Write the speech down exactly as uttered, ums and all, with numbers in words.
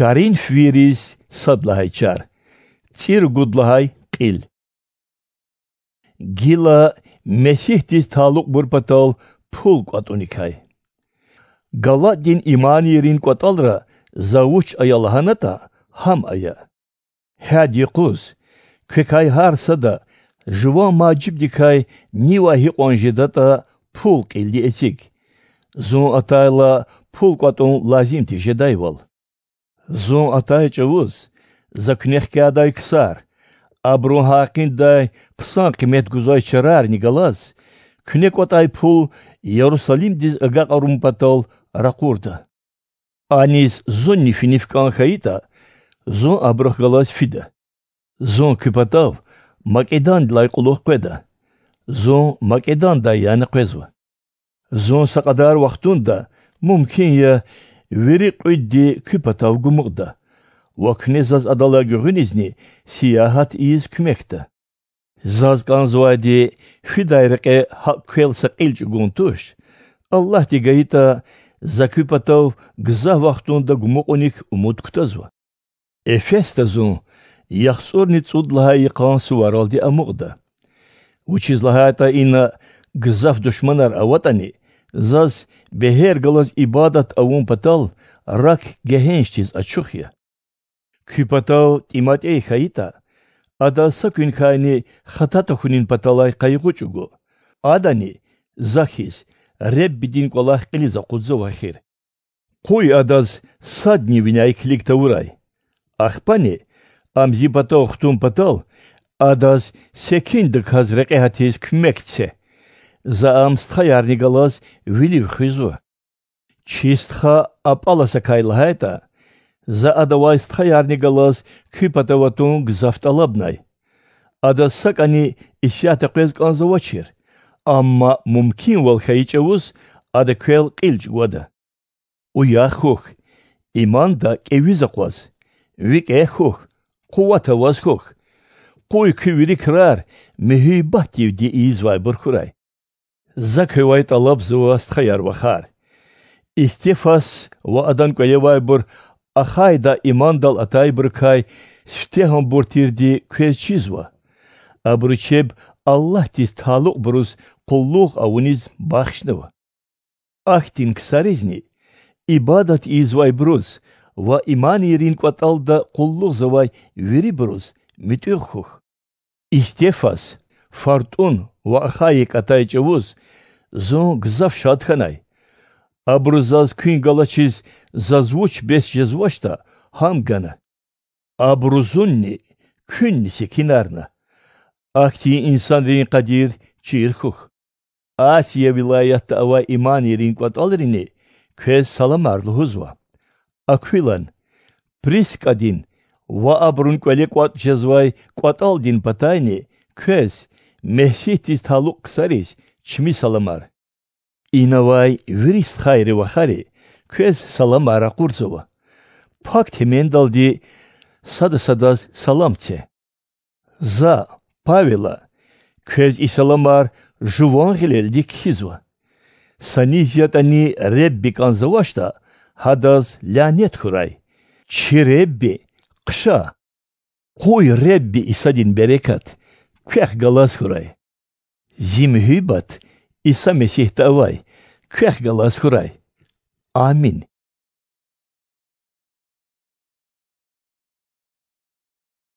Коринфвийриз сад лагьай чар. ЦӀи ругуд лагьай кьил. Гила Месигьдиз талукьбур патал пул кӀватӀуникай. Галатдин иманийрин кӀватӀалра за вуч ая лагьанатӀа, гьам ая. Гьяд юкъуз квекай гьар сада жуван мажибдикай нивай гьикьван жедатӀа пул кьилди эциг, зун атайла пул кӀватӀун лазим тир жедайвал. Зун атай чӀавуз за куьне хкядай ксар, абурун гьакъиндай хъсан къимет гузвай чарарни галаз, куьне кӀватӀай пул Ярусалимдиз агакьарун патал ракъурда. Аниз зунни финиф кӀан хьайитӀа, зун абурухъ галаз фида. Зун куь патав Македондилай кьулухъ къведа. Зун Македондай яна къвезва. Зун са кьадар вахтунда, мумкин я, вири кьуьдди куь патав гумукьда ва куьне заз адалай гуьгъуьнизни сиягьат ийиз куьмекда. Заз кӀанзавайди фидай рекье гьакӀ квел са кьил чӀугун туш, Аллагьди гайитӀа, за куь патав гзаф вахтунда гумукьуник умуд кутазва. Эфесда зун яхцӀурни цӀуд лагьай йикъан суваралди амукьда. Вучиз лагьайтӀа ина гзаф душманар аватӀани, заз бегьер галаз ибадат авун патал рак гегьеншдиз ачух я. Куь патав ТӀиматӀей хьайитӀа, адаз са куьнкайни хата тахьунин паталай къайгъу чӀугу. Адани, за хьиз, Реббидин кӀвалах кьилиз акъудзава эхир. Къуй адаз садни виняй килиг тавурай. Ахпани, ам зи патав хтун патал, адаз секиндаказ рекье гьатиз куьмек це. За ам стхаярни галаз вилив хуьзва. Чи стха АпӀаласакай лагьайтӀа, за адавай стхаярни галаз куь патав атун гзаф тӀалабнай. Адаз сакӀани исятда къвез кӀанзавачир, амма мумкинвал хьайи чӀавуз ада квел кьил чӀугвада. Уях хьухь, иманда кӀевиз акъваз, викӀегь хьухь, къуват аваз хьухь. Къуй куь вири крар муьгьуьббатдивди ийизвайбур хьурай. За квевай тӀалабзава, стхаяр-вахар. Истефас ва адан кӀвалевайбур Ахайда имандал атайбурукай сифтегьанбур тирди квез чизва. Абуру чеб Аллагьдиз талукьбуруз къуллугъ авуниз бахшнава. Ахьтин ксаризни, ибадат ийизвайбуруз ва иманийрин кӀватӀалда къуллугъзавай вирибуруз муьтӀуьгъ хьухь. Истефас, ФартӀун ва Ахайик атай чӀавуз зун гзаф шад хьанай. Абуру заз куьн галачиз заз вуч бес жезвачтӀа, гьам гана. Абуру зунни, куьнни секинарна. Ахьтин инсанрин къадир чир хьухь. Асия вилаятда авай иманийрин кӀватӀалрини квез саламар лугьузва. Аквилан, ПрискӀадин ва абурун кӀвале кӀватӀ жезвай кӀватӀалдин патайни квез, Месигьдиз талукь ксариз, чими саламар. Инавай вири стхайри-вахари квез саламар ракъурзава. Пак Темендалди сада садаз салам це. За, Павела, квез и саламар жуван гъилелди кхьизва. Са низ ятӀани Ребби кӀанзавачтӀа, гьадаз лянет хьурай. Чи Ребби хъша! Къуй Ребби Исадин берекат квехъ галаз хьурай. Зи муьгьуьббат Иса Месигьда авай квехъ галаз хьурай. Амин.